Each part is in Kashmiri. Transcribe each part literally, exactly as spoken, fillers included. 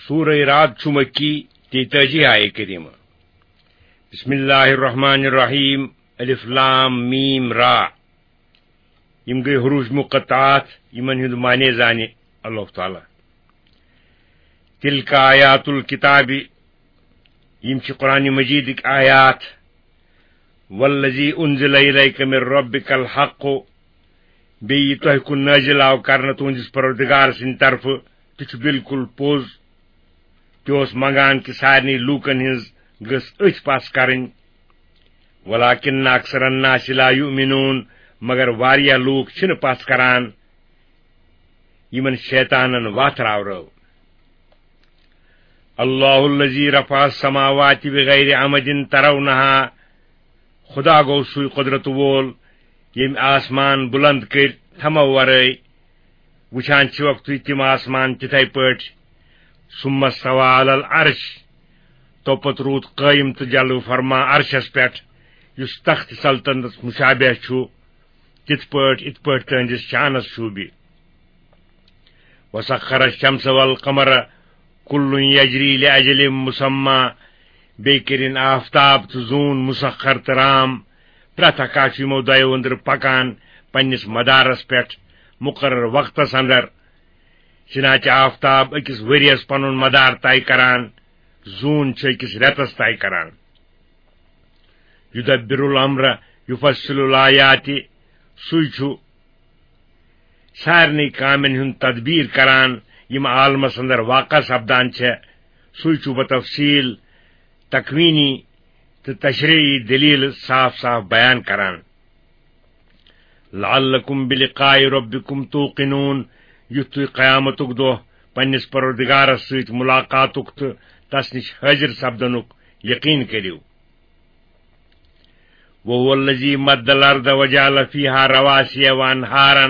سورہ رعد چھُ مکی، تیتٲجی آیہ کریمہ۔ بسم اللہ الرحمن الرحیم۔ الف لام میم را۔ یِم گٔے حروف مقطعات، یِمن ہُنٛد معنی زانہِ اللہ تعالیٰ۔ تلک آیات الکتاب، یِم چھِ قرآن مجیدٕکۍ آیات۔ والذی انزل الیک من ربک الحق، بیٚیہِ یہِ تۄہہِ کُن نٲزِل آو کرنہٕ تُہنٛدِس پروردگار سٕنٛدِ طرفہٕ، تہِ چھُ بالکل پوٚز۔ تہِ اوس منگان کہِ سارنٕے لوٗکن ہٕنٛز گٔژھ أچھ پژھ کرٕنۍ۔ ولکن اکثر الناس لا یؤمنون، مگر واریاہ لوٗکھ چھِنہٕ پژھ کران، یِمن شیطانن وتھ راورٲو۔ اللہ الذی رفع السماوات بغیر عمد ترونہا، خدا گوٚو سُے قۄدرت وول، ییٚمۍ آسمان بُلنٛد کٔرۍ تھمو ورٲے۔ وٕچھان چھِوکھ تُہۍ تِم آسمان تِتھے پٲٹھۍ۔ ثم استوى على العرش، توپتہٕ روٗد قٲیِم تہٕ جلوٕ فرما عرشس پٮ۪ٹھ، یُس تخت سلطنتس مشابہ چھُ، تِتھ پٲٹھۍ، یِتھ پٲٹھۍ تٕہنٛدِس شانس شوٗبہِ۔ وسخر الشمس والقمر كل يجري لأجل مسمى، بیٚیہِ کٔرِن آفتاب تہٕ زوٗن مسخر تہٕ رام، پرٛٮ۪تھ اکھ چھُ یِمو دۄیو أنٛدرٕ پکان پننِس مدارس پٮ۪ٹھ مقرر وقتس اندر۔ چنانچہ آفتاب أکِس ؤریَس پنُن مدار طے کران، زوٗن چھُ أکِس رٮ۪تس طے کران۔ یدبر الامر یفصل الآیات، سُے چھُ سارنٕے کامٮ۪ن ہُنٛد تدبیٖر کران، یِم عالمس اندر واقع سپدان چھےٚ۔ سُے چھُ بتفصیل تکوینی تہٕ تشریعی دلیل صاف صاف بیان کران۔ لعلکم بلقاء ربکم توقنون، یُتھ تُہۍ قیامتُک دۄہ پننِس پروردگارس سۭتۍ ملاقاتُک تہٕ تس نِش حٲضِر سپدنُک یقین کٔرِو۔ وهو الذی مد الارض وجعل فیها رواسی وانہارا،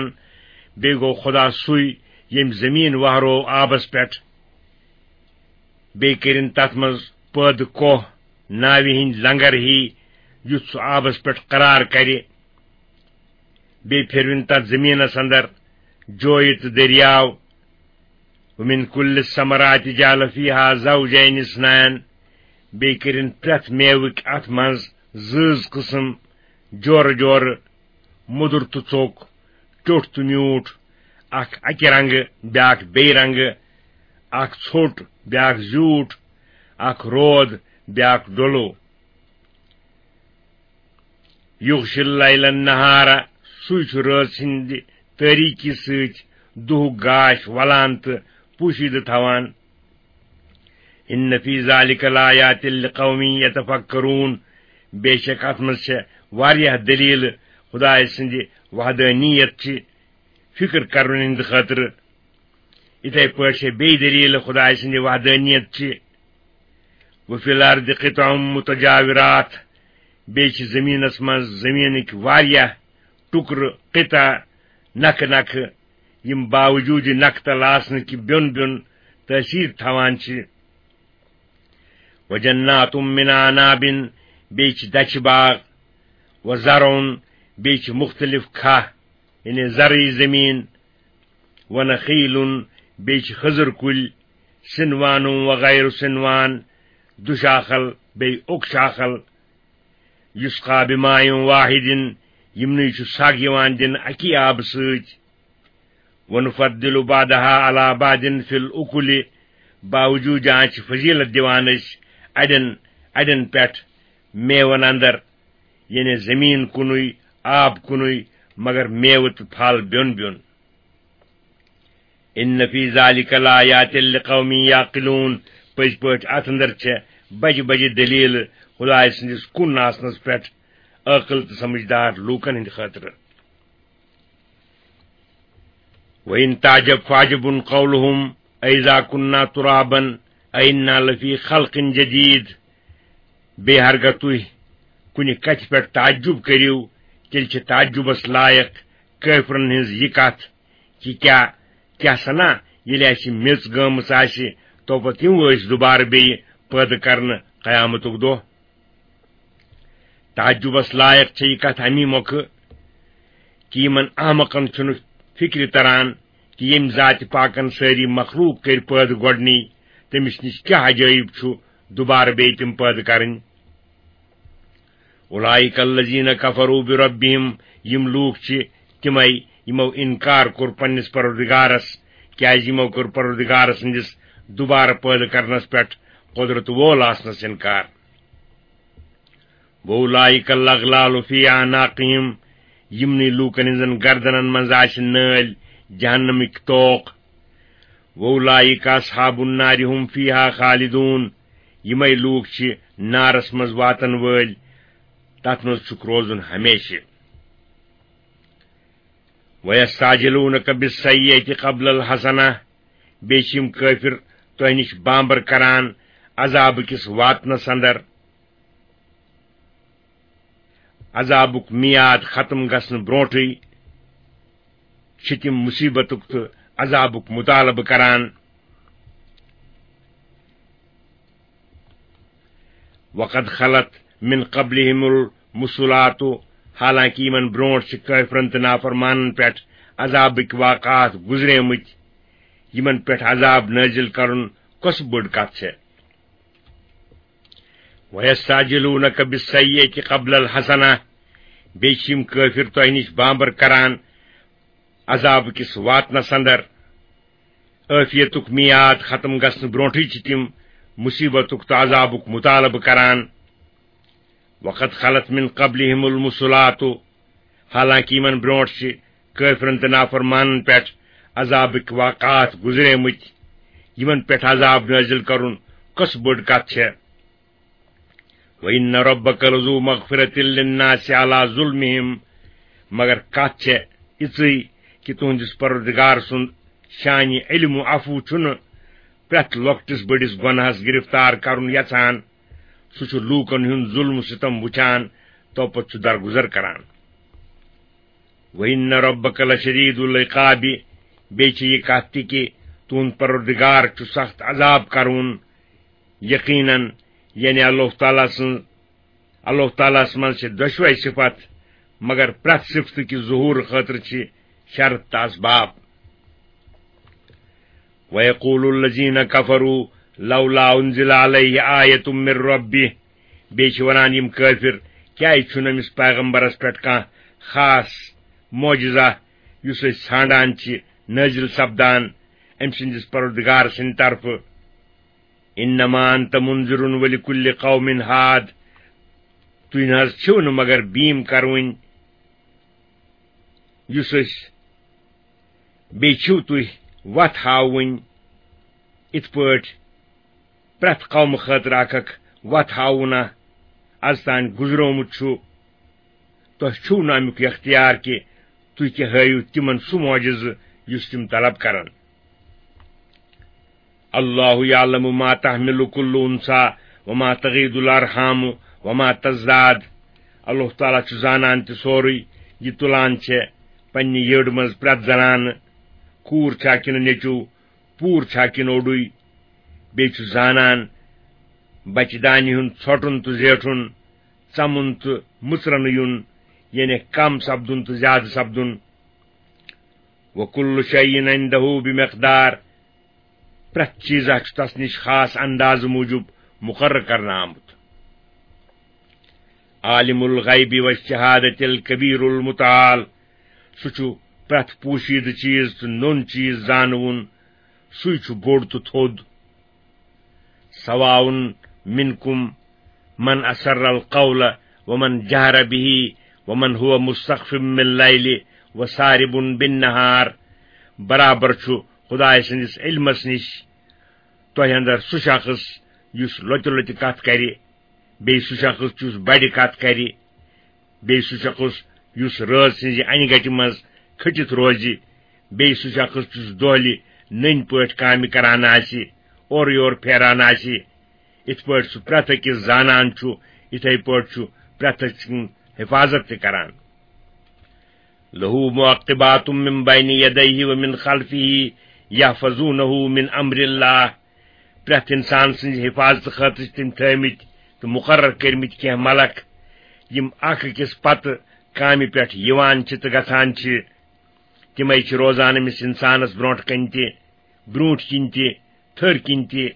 بیٚیہِ گوٚو خدا سُے، ییٚمۍ زٔمیٖن وہرو آبس پٮ۪ٹھ، بیٚیہِ کٔرِن تتھ منٛز پٲدٕ کوہ، ناوِ ہٕنٛدۍ لنگر ہی، یُتھ سُہ آبس پٮ۪ٹھ قرار کرِ۔ بیٚیہِ پھِروِن تتھ زٔمیٖنس اندر جویہِ تہٕ دٔریاو۔ ومن کل الثمرات جعل فیها زوجین اثنین، بیٚیہِ کٔرِن پرٛٮ۪تھ میوٕکۍ اتھ منٛز زۭز قٕسم، جورٕ جورٕ، مُدُر تہٕ ژوٚک، ٹیوٚٹھ تہٕ میوٗٹھ، اکھ اکہِ رنگہٕ، بیٛاکھ بیٚیہِ رنگہٕ، اکھ ژھوٚٹ، بیٛاکھ زیوٗٹھ، اکھ رود، بیٛاکھ ڈولو۔ یغشی اللیل النہار، سُے چھُ رٲژ ہٕنٛدِ تٲریٖکی سۭتۍ دُہُک گاش ولان تہٕ پوٗشیدٕ تھاوان۔ ان فی ذلک لآیات لقوم یتفکرون، بے شک اتھ منٛز چھےٚ واریاہ دلیل خدایہِ سٕنٛدِ وحدانیت چہِ فکر کرنہٕ ہٕنٛدِ خٲطرٕ۔ یِتھے پٲٹھۍ چھےٚ بیٚیہِ دلیل خدایہِ سٕنٛدِ وحدانیت چہِ۔ وفی الارض قطع متجاورات، بیٚیہِ چھِ زٔمیٖنَس منٛز زٔمیٖنٕکۍ واریاہ ٹُکرٕ، قطع، نکھٕ نکھٕ، یِم باوجوٗدِ نکھٕ تل آسنہٕ کہِ بیوٚن بیوٚن تٲثیٖر تھاوان چھِ۔ وجنات من اعناب، بیٚیہِ چھِ دَچھِ باغ، وزرع، بیٚیہِ چھِ مُختٔلِف کھاہ، یعنی زرعی زٔمیٖن، ونخیل، بیٚیہِ چھِ خٔزٕر کُلۍ، صنوان وغیر صنوان، دُشاخل بیٚیہِ اوٚک شاخل، یسقی بماء واحد، یِمنٕے چھُ سگ یِوان دِنہٕ اَکی آبہٕ سۭتۍ۔ ونفضل بعضها على بعض في الاکل، باوجوٗد جان چھِ فضیلت دِوان أسۍ اَڑٮ۪ن اَڑٮ۪ن پٮ۪ٹھ میوَن اندر، یعنی زٔمیٖن کُنُے، آب کُنُے، مگر میوٕ تہٕ پھل بیوٚن بیوٚن۔ ان فی ذلک لآیات لقوم یعقلون، پٔزۍ پٲٹھۍ اتھ اندر چھےٚ بجہِ بجہِ دلیل خدایہِ سٕنٛدِس کُن آسنس پٮ۪ٹھ عٲقل تہٕ سمجھدار لوٗکن ہٕنٛدِ خٲطرٕ۔ وَإِن تَعْجَبْ فَعَجَبٌ قَوْلُهُمْ أَإِذَا كُنَّا تُرَابًا أَإِنَّا لَفِي خَلْقٍ جَدِيدٍ۔ بیٚیہِ ہرگاہ تُہۍ کُنہِ کتھِ پٮ۪ٹھ تعجب کٔرِو، تیٚلہِ چھِ تعجبس لایق کٲفرن ہٕنٛز یہِ کتھ کہِ کیٛاہ، کیٛاہ سنا ییٚلہِ اسہِ میٚژ گٲمٕژ آسہِ، توپتہٕ یِمو أسۍ دُبارٕ بیٚیہِ پٲدٕ کرنہٕ قیامتُک دۄہ؟ تعجبس لایق چھےٚ یہِ کتھ امی مۄکھٕ کہِ یِمن احمقن چھُنہٕ فکرِ تران کہِ ییٚمۍ ذاتِ پاکن سٲری مخلوق کٔرۍ پٲدٕ گۄڈنی تٔمِس نِش کیٛاہ عجٲیب چھُ دوبارٕ بیٚیہِ تِم پٲدٕ کرٕنۍ؟ اولئک الذین کفروا بربہم، یِم لوٗکھ چھِ تِمے یِمو اِنکار کوٚر پننِس پروردگارس، کیازِ یِمو کوٚر پروردگار سٕنٛدِس دوبارٕ پٲدٕ کرنس پٮ۪ٹھ قدرت وول آسنس اِنکار۔ وَأُولَٰئِكَ الْأَغْلَالُ فِي أَعْنَاقِهِمْ، یِمنٕے لوٗکن ہٕنٛزن گردنن منٛز آسہِ نٲلۍ، جہنمٕکۍ طوق۔ وَأُولَٰئِكَ أَصْحَابُ النَّارِ هُمْ فِيهَا خَالِدُونَ، یِمے لوٗکھ چھِ نارس منٛز واتن وٲلۍ، تتھ منٛز چھُکھ روزُن ہمیشہِ۔ وَيَسْتَعْجِلُونَكَ بِالسَّيِّئَةِ قَبْلَ الْحَسَنَةِ، بیٚیہِ چھِ یِم کٲفِر تۄہہِ نِش بامبر کران عذابہٕ کِس واتنس اندر۔ عذابُک میعاد ختم گژھنہٕ برونٹھٕے چھِ تِم مصیبتُک تہٕ عذابُک مطالبہٕ کران۔ وَقَدْ خَلَتْ مِنْ قَبْلِهِمُ الْمَثُلَاتُ، حالانکہ یِمن برونٹھ چھِ کٲفرن تہٕ نافرمانن پٮ۪ٹھ عذابٕکۍ واقعات گُزریمٕتۍ۔ یِمن پٮ۪ٹھ عذاب نٲزِل کرُن کۄس بٔڑ کتھ چھےٚ؟ وَيَسْتَعْجِلُونَكَ بِالسَّيِّئَةِ قَبْلَ الْحَسَنَةِ، بیٚیہِ چھِ یِم کٲفِر تۄہہِ نِش بامبر کران عذاب کِس واتنس اندر۔ عٲفیتُک میعاد ختم گژھنہٕ برونٹھٕے چھِ تِم مصیبتُک تہٕ عذابُک مطالبہٕ کران۔ وَقَدْ خَلَتْ مِنْ قَبْلِهِمُ الْمَثُلَاتُ، حالانکہ یِمن برونٹھ چھِ کٲفرن تہٕ نافرمانن پٮ۪ٹھ عذابٕکۍ واقعات گُزریمٕتۍ۔ یِمن پٮ۪ٹھ عذاب نٲزِل کرُن کۄس بٔڑ کتھ چھےٚ؟ وَإِنَّ رَبَّكَ لَذُو مَغْفِرَةٍ لِلنَّاسِ عَلَى ظُلْمِهِمْ، مگر کتھ چھےٚ یِژٕے کہِ تُہنٛدِس پروردگار سُنٛد شانِ علم و عفو چھُنہٕ پرٛٮ۪تھ لۄکٹِس بٔڑِس گۄناہس گرفتار کرُن یژھان۔ سُہ چھُ لوٗکن ہُنٛد ظلم و ستم وٕچھان، توپتہٕ چھُ درگُزر کران۔ وَإِنَّ رَبَّكَ لَشَدِيدُ الْعِقَابِ، بیٚیہِ چھِ یہِ کتھ تہِ کہِ تُہُنٛد پروردگار چھُ سخت عذاب کرون۔ یقیناً، یعنی اللہ تعالیٰ سٕنٛز، اللہ تعالیٰ ہس منٛز چھِ دۄشوے صفت، مگر پرٛٮ۪تھ صفتہٕ کہِ ظہوٗر خٲطرٕ چھِ شرط تہٕ اسباب۔ وَيَقُولُ الَّذِينَ كَفَرُوا لَوْلَا أُنْزِلَ عَلَيْهِ آيَةٌ مِّن رَّبِّهِ، بیٚیہِ چھِ وَنان یِم کٲفِر، کیٛازِ چھُنہٕ أمِس پیغمبرس پٮ۪ٹھ کانٛہہ خاص معجزہ یُس أسۍ ژھانٛڈان چھِ نٲزِل سپدان أمۍ سٕنٛدِس پروردگار سٕنٛدِ طرفہٕ؟ إِنَّمَا أَنْتَ مُنْذِرٌ وَلِكُلِّ قَوْمٍ هَادٍ، تُہۍ نہٕ حظ چھِو نہٕ مگر بیٖم کَرٕوٕنۍ، یُس أسۍ بیٚیہِ چھِو تُہۍ وَتھ ہاوٕنۍ، یِتھ پٲٹھۍ پرٛٮ۪تھ قومہٕ خٲطرٕ اکھ اکھ وَتھ ہاوُن اَز تام گُزرومُت چھُ۔ تۄہہِ چھُو نہٕ اَمیُک اختیار کہِ تُہۍ تہِ ہٲیِو تِمن سُہ معجزٕ یُس تِم طلب کرن۔ اللہ یعلم ما تحمل کل انثی وما تغیض الارحام وما تزداد۔ اللہ تعالیٰ چھُ زانان تہِ سورُے، یہِ تُلان چھےٚ پننہِ یٔڈ منٛز پرٛٮ۪تھ زنانہٕ، کوٗر چھا کِنہٕ نیٚچوٗ، پوٗر چھا کِنہٕ اوٚڑُے۔ بیٚیہِ چھُ زانان بچہِ دانہِ ہُنٛد ژھۄٹُن تہٕ زیٹھُن، ژَمُن تہٕ مُژرنہٕ یُن، یعنی کم سپدُن تہٕ زیادٕ سپدُن۔ وَكُلُّ شَيْءٍ عِنْدَهُ بِمِقْدَارٍ، پرٛٮ۪تھ چیٖزا چھُ تس نِش خاص اندازٕ موٗجوٗب مُقرر کرنہٕ آمُت۔ عالم الغیب والشہادت الکبیر المتعال، سُہ چھُ پرٛٮ۪تھ پوشیدٕ چیٖز تہٕ نوٚن چیٖز زانوُن، سُے چھُ بوٚڑ تہٕ تھوٚد۔ سواء منکم من اسر القول ومن جہر به ومن هو مستخف باللیل وسارب بالنہار۔ برابر چھُ خدائے سٕنٛدِس علمس نِش تۄہہِ اندر سُہ شخص یُس لۄتہِ لۄتہِ کتھ کرِ، بیٚیہِ سُہ شخص یُس بڑِ کتھ کرِ، بیٚیہِ سُہ شخص یُس رٲژ سٕنزِ انہِ گٹہِ منز کھٔٹِتھ روزِ، بیٚیہِ سُہ شخص یُس دۄہلہِ نٔنۍ پٲٹھۍ کامہِ کران آسہِ، اورٕ یور پھیران آسہِ۔ یِتھ پٲٹھۍ سُہ پرٛٮ۪تھ أکِس زانان چھُ، یِتھے پٲٹھۍ چھُ پرٛٮ۪تھ أکۍ سٕنز حفاظت تہِ کران۔ لَهُ مُعَقِّبَاتٌ مِّن بَيْنِ يَدَيْهِ وَمِنْ خَلْفِهِ يَحْفَظُونَهُ مِنْ أَمْرِ اللَّهِ۔ پرٛٮ۪تھ اِنسان سٕنٛزِ حِفاظتہٕ خٲطرٕ چھِ تٔمۍ تھٲومٕتۍ تہٕ مُقرر کٔرمٕتۍ کینٛہہ ملک، یِم اکھ أکِس پتہٕ کامہِ پٮ۪ٹھ یِوان چھِ تہٕ گژھان چھِ۔ تِمے چھِ روزان أمِس اِنسانَس برٛونٛٹھ کَنہِ تہِ، برٛوٗنٛٹھۍ کِنۍ تہِ، تھٔرۍ کِنۍ تہِ۔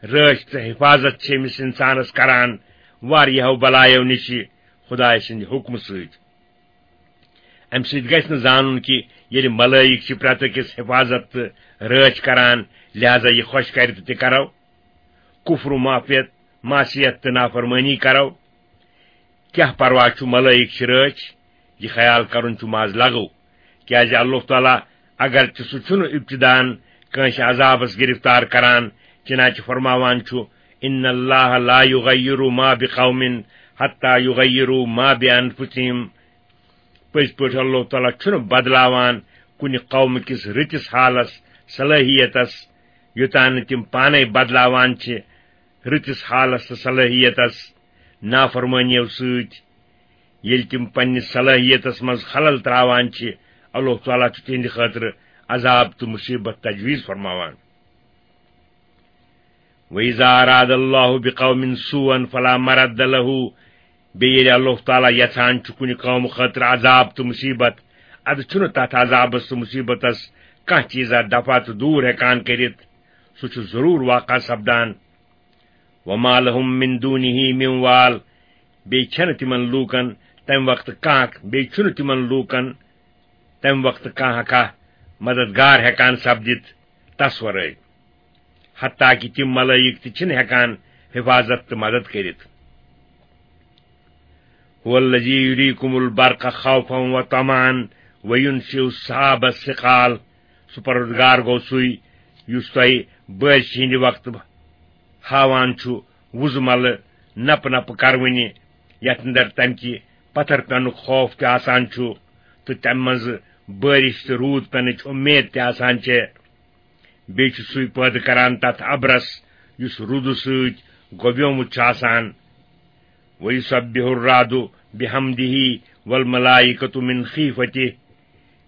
رٲچھ تہٕ حفاظت چھِ أمِس اِنسانَس کران واریاہو بلایو نِش خۄداے سٕنٛدِ حُکمہٕ سۭتۍ۔ اَمہِ سۭتۍ گژھِ نہٕ زانُن کہِ ییٚلہِ ملٲیِک چھِ پرٛٮ۪تھ أکِس حفاظت تہٕ رٲچھ کران، لہذا یہِ خۄش کرِ تہٕ تہِ کرو، کُفر و معافیت، معصیت تہٕ نافرمٲنی کرو، کیٛاہ پرواہ چھُ، ملٲیِک چھِ رٲچھ، یہِ خیال کرُن چھُ محض لغو، کیٛازِ اللہ تعالیٰ اگرچہِ سُہ چھُنہٕ ابتدان کٲنٛسہِ عذابس گرفتار کران، چنانچہ فرماوان چھُ، "ان اللہ لا یغیر ما بقوم حتی یغیروا ما بانفسہم"، پٔزۍ پٲٹھۍ اللہ تعالیٰ چھُنہٕ بدلاوان کُنہِ قومہٕ کِس رٕتِس حالس، صلٲحیتس، یوٚتام نہٕ تِم پانے بدلاوان چھِ رٕتِس حالس تہٕ صلٲحیتس نافرمٲنیو سۭتۍ۔ ییٚلہِ تِم پننِس صلٲحیتس منٛز خلل تراوان چھِ، اللہ تعالیٰ چھُ تِہنٛدِ خٲطرٕ عذاب تہٕ مصیبت تجویز فرماوان۔ وَإِذَا أَرَادَ اللَّهُ بِقَوْمٍ سُوءًا فَلَا مَرَدَّ لَهُ، بیٚیہِ ییٚلہِ اللہ تعالیٰ یژھان چھُ کُنہِ قومہٕ خٲطرٕ عذاب تہٕ مصیبت، ادٕ چھُنہٕ تتھ عذابس تہٕ مصیبتس کانٛہہ چیٖزا دفع تہٕ دوٗر ہٮ۪کان کٔرِتھ، سُہ چھُ ضروٗر واقع سپدان۔ وَمَا لَهُم مِّن دُونِهِ مِّن وَالٍ، بیٚیہِ چھَنہٕ تِمن لوٗکن تَمہِ وقتہٕ کانٛہہ، بیٚیہِ چھُنہٕ تِمن لوٗکن تَمہِ وقتہٕ کانٛہہ کانٛہہ مددگار ہٮ۪کان سپدِتھ تس ورٲے، حتیٰ کہِ تِم ملٲیِک تہِ چھِنہٕ ہٮ۪کان حفاظت تہٕ مدد کٔرِتھ۔ هُوَ الَّذِی یُریٖکُمُ الْبَرْقَ خَوْفًا وَطَمَعًا وَیُنشِئُ السَّحَابَ الثِّقَالَ، سُہ پروردگار گوٚو سُے یُس تۄہہِ بٲرِشہِ ہٕنٛدِ وقتہٕ ہاوان چھُ وُزملہٕ نپہٕ نپہٕ کروٕنہِ، یتھ اندر تمہِ کہِ پتھر پٮ۪نُک خوف تہِ آسان چھُ تہٕ تمہِ منٛزٕ بٲرِش تہٕ روٗد پٮ۪نٕچ اُمید تہِ آسان چھےٚ۔ بیٚیہِ چھُ سُے پٲدٕ کران تتھ ابرس یُس روٗدٕ سۭتۍ گۄبیومُت چھُ آسان۔ وَیُسَبِّحُ الرَّعْدُ بِحَمْدِهِ وَالْمَلَائِکَةُ مِنْ خِیفَتِهِ۔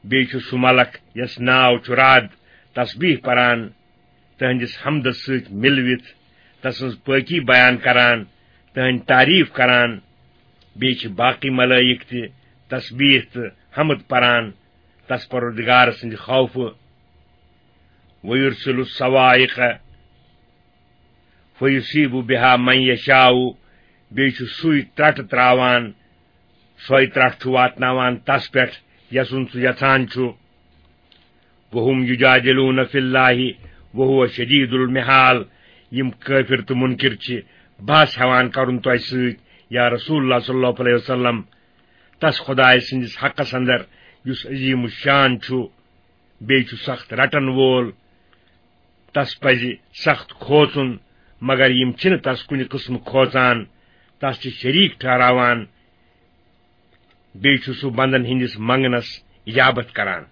بیٚیہِ چھُ سُہ ملک یَس ناو چھُ رعد تسبیح پران، تہنٛدِس حمدس سۭتۍ مِلوِتھ تسٕنٛز پٲکی بیان کران، تہنٛدۍ تعریف کران۔ بیٚیہِ چھِ باقی ملٲیِک تہِ تسبیح تہٕ حمد پران تس پروردگار سٕنٛدِ خوفہٕ۔ وَیُرْسِلُ الصَّوَاعِقَ فَیُصِیبُ بِہَا مَن یَشَاءُ، بیٚیہِ چھُ سُے ترٛٹہٕ ترٛاوان، سۄے ترٛٹھ چھُ واتناوان تس پٮ۪ٹھ یَسُن سُہ یژھان چھُ۔ وَهُم یُجادِلُونَ فِی اللَّهِ وَهُوَ شَدِیدُ الْمِحَالِ، یِم کٲفِر تہٕ مُنکِر چھِ بحث ہٮ۪وان کرُن تۄہہِ سۭتۍ، یا رسول اللہ صلی اللہ علیہ وسلم، تس خۄداے سٕنٛدِس حقس اندر یُس عظیم الشان چھُ، بیٚیہِ چھُ سخت رٹن وول۔ تس پزِ سخت کھوژُن، مگر یِم چھِنہٕ تس کُنہِ قٕسمہٕ کھوژان، تس چھِ شریٖک ٹھہراوان، بیٚیہِ چھُ سُہ بندن ہٕنٛدِس منگنس اجابت کران۔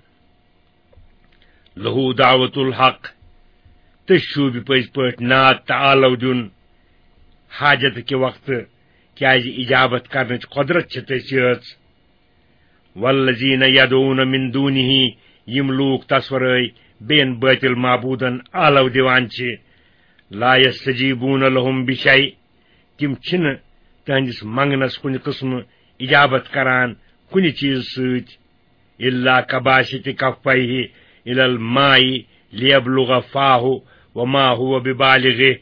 لَہُ دَعْوَتُ الْحَقِّ، تہٕ شوٗبہِ پٔزۍ پٲٹھۍ نعت تہٕ آلو دیُن حاجت کہِ وقتہٕ، کیازِ اجابت کرنٕچ قۄدرت چھِ تٔژ یٲژ۔ وَالَّذِینَ یَدْعُونَ مِن دُونِهِ، یِم لوٗکھ تس ورٲے بیٚین بٲطِل معبوٗدن آلو دِوان چھِ، لَا یَسْتَجِیبُونَ لَهُم بِشَیْءٍ، تِم چھِنہٕ تہنٛدِس منگنس کُنہِ قٕسمہٕ اجابت کران کُنہِ چیٖز سۭتۍ، إِلَّا کَبَاسِطِ کَفَّیْهِ إِلَى الْمَاءِ لِیَبْلُغَ فَاهُ وَمَا هُوَ بِبَالِغِهِ،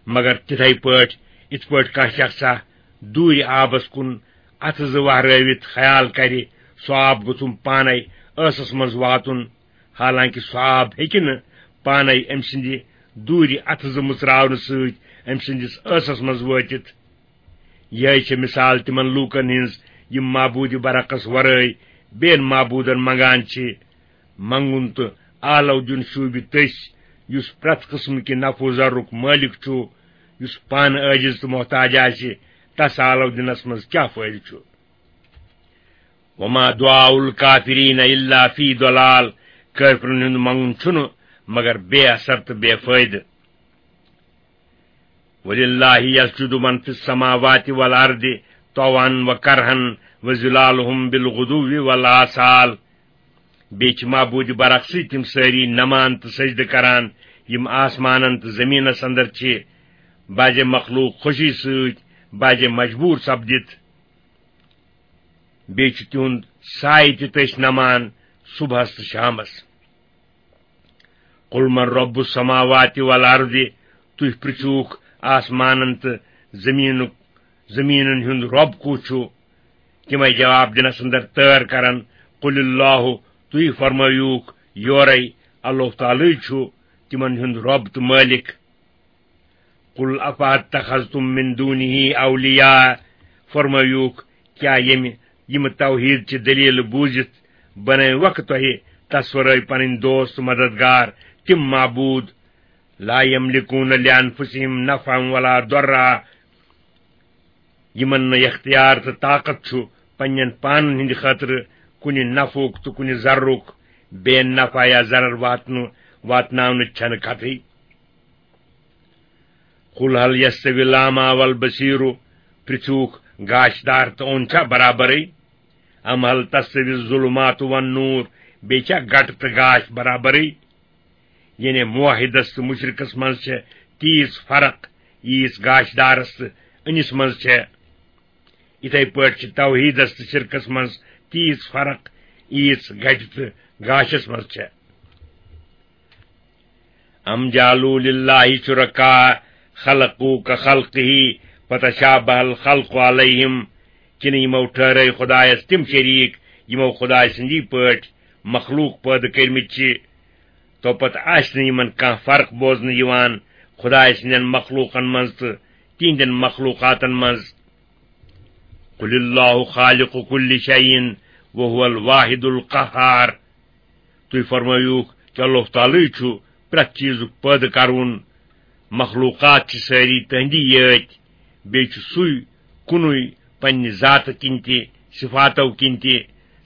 مگر تِتھے پٲٹھۍ، یِتھ پٲٹھۍ کانٛہہ شخصا دوٗرِ آبس کُن اتھٕ زٕ وہرٲوِتھ خیال کرِ، سُہ آب گوٚژھُم پانے ٲسس منٛز واتُن، حالانکہ سُہ آب ہیٚکہِ نہٕ پانے أمۍ سٕنٛدِ دوٗرِ اتھٕ زٕ مُژراونہٕ سۭتۍ أمۍ سٕنٛدِس ٲسس منٛز وٲتِتھ۔ یِہے چھِ مثال تِمن لوٗکن ہٕنٛز، یِم معبوٗدِ برحقس ورٲے بیٚین معبوٗدن منگان چھِ۔ منگُن تہٕ آلو دیُن شوٗبہِ تٔسۍ، یُس پرٛٮ۪تھ قٕسمہٕ کہِ نفع و ضررُک مٲلِک چھُ۔ یُس پانہٕ عٲجِز تہٕ محتاج آسہِ، تس آلو دِنس منٛز کیٛاہ فٲیدٕ چھُ؟ وَمَا دُعَاءُ الْکَافِرِینَ إِلَّا فِی ضَلَالٍ، کٲفرن ہُنٛد منگُن چھُنہٕ مگر بے اثر تہٕ بے فٲیدٕ۔ وَلِلَّهِ یَسْجُدُ مَنْ فِی السَّمَاوَاتِ وَالْأَرْضِ طَوْعًا وَکَرْہًا وَظِلَالُهُم بِالْغُدُوِّ وَالْآصَالِ۔ بیٚیہِ چھِ معبوٗدِ برحق سٕے تِم سٲری نمان تہٕ سجدٕ کران، یِم آسمانن تہٕ زٔمیٖنس اندر چھِ، بعضے مخلوق خوشی سۭتۍ، بعضے مجبوٗر سپدِتھ۔ بیٚیہِ چھُ تِہُنٛد سایہِ تہِ تٔسۍ نمان صبحس تہٕ شامس۔ قُل مَن رَبُّ السَّمَاوَاتِ وَالْأَرْضِ، تُہۍ پرٛژھوُکھ آسمانن تہٕ زٔمیٖنُک، زٔمیٖنن ہُنٛد رۄب کُس چھُ؟ تِمے جواب دِنس اندر تٲر کرن، "قل اللہ"، تُہۍ فرمٲیوُکھ یورے، اللہ تعالیٰ چھُ تِمن ہُنٛد رۄب تہٕ مٲلِک۔ "قل افاتخذتم من دونه اولیاء"، فرمٲیوُکھ، کیٛاہ ییٚمہِ، یِم توحیٖد چہِ دٔلیٖلہٕ بوٗزِتھ بنٲوکھ تۄہہِ تس ورٲے پنٕنۍ دوست مددگار، تِم معبوٗد؟ "لا یملکون لانفسهم نفعا ولا ضرا"، یِمن نہٕ اختیار تہٕ طاقت چھُ پننٮ۪ن پانن ہٕنٛدِ خٲطرٕ کُنہِ نفعُک تہٕ کُنہِ ضررُک، بے نفع یا ضرر واتنہٕ، واتناونٕچ چھنہٕ کتھٕے۔ "قل هل يستوي الأعمى والبصير"، پرژھوکھ، گاشدار تہٕ اوٚن چھا برابرٕے؟ "أم هل تستوي الظلمات والنور"، بیٚیہِ چھا گٹہٕ تہٕ گاش برابرٕے؟ یعنی موحدس تہٕ مشرکس منٛز چھےٚ تیٖژ فرق، ییٖژ گاشدارس تہٕ أنِس منٛز چھےٚ۔ یِتھے پٲٹھۍ چھِ توحیٖدس تہٕ شرکس منٛز تیٖژ فرق، ییٖژ گٹہِ تہٕ گاشس منٛز چھےٚ۔ "أم جعلوا لله شركاء خلقوا كخلقه فتشابه الخلق عليهم"، کِنہٕ یِمو ٹھہرٲے خۄدایس تِم شریٖک، یِمو خۄداے سٕنٛدی پٲٹھۍ مخلوق پٲدٕ کٔرمٕتۍ چھِ؟ تو پتہٕ آسہِ نہٕ یِمن کانٛہہ فرق بوزنہٕ یِوان خۄداے سٕنٛدٮ۪ن مخلوقن منٛز تہٕ تِہنٛدٮ۪ن مخلوقاتن منٛز۔ "قل الله خالق كل شيء وهو الواحد القهار"، تُہۍ فرمٲیوُکھ کہِ اللہ تعالیٰ چھُ پرٛٮ۪تھ چیٖزُک پٲدٕ کرون، مخلوقات چھِ سٲری تٔہنٛدی یٲتۍ، بیٚیہِ چھُ سُے کُنُے پننہِ ذاتہٕ کِنۍ تہِ، صفاتو کِنۍ تہِ،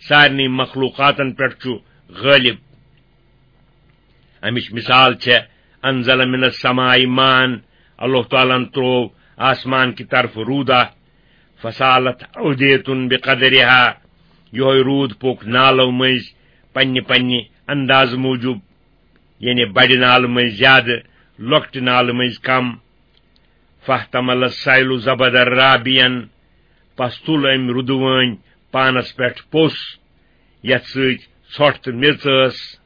سارنٕے مخلوقاتن پٮ۪ٹھ چھُ غٲلب۔ امِچ مثال چھےٚ، "انزل من السماء ماء"، اللہ تعالیٰ ہن تروو آسمان کہِ طرفہٕ روٗدا، "فسالت اودیتن بقدرها"، یہوے روٗد پوٚک نالو مٔنٛزۍ پننہِ پننہِ اندازٕ موٗجوٗب، یعنی بڑِ نالہٕ مٔنٛزۍ زیادٕ، لۄکٹہِ نالہٕ مٔنٛزۍ کم۔ "فاحتمل السیل زبدا رابیا"، پس تُل أمۍ رُدٕ وٲنۍ پانس پٮ۪ٹھ پوٚس، یتھ سۭتۍ ژھۄٹھ تہٕ میٚژ ٲس۔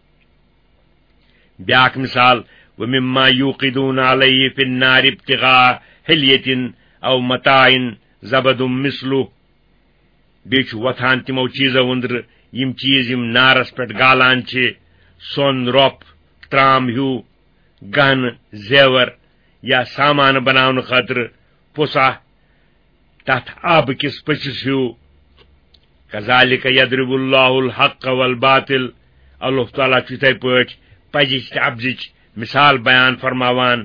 بیاکھ مثال، "ومما يوقدون عليه في النار ابتغاء حلية أو متاع زبد مثله"، بیٚیہِ چھُ وۄتھان تِمو چیٖزو أنٛدرٕ یِم چیٖز یِم نارس پٮ۪ٹھ گالان چھِ، سۄن، رۄپھ، ترام ہیوٗ، گہنہٕ، زیور یا سامان بناونہٕ خٲطرٕ پوٚسا، تتھ آبہٕ کِس پٔژھِس ہیوٗ۔ "كذلك يضرب الله الحق والباطل"، اللہ تعالیٰ چھُ یِتھے پٲٹھۍ پزِچ تہٕ اپزِچ مثال بیان فرماوان،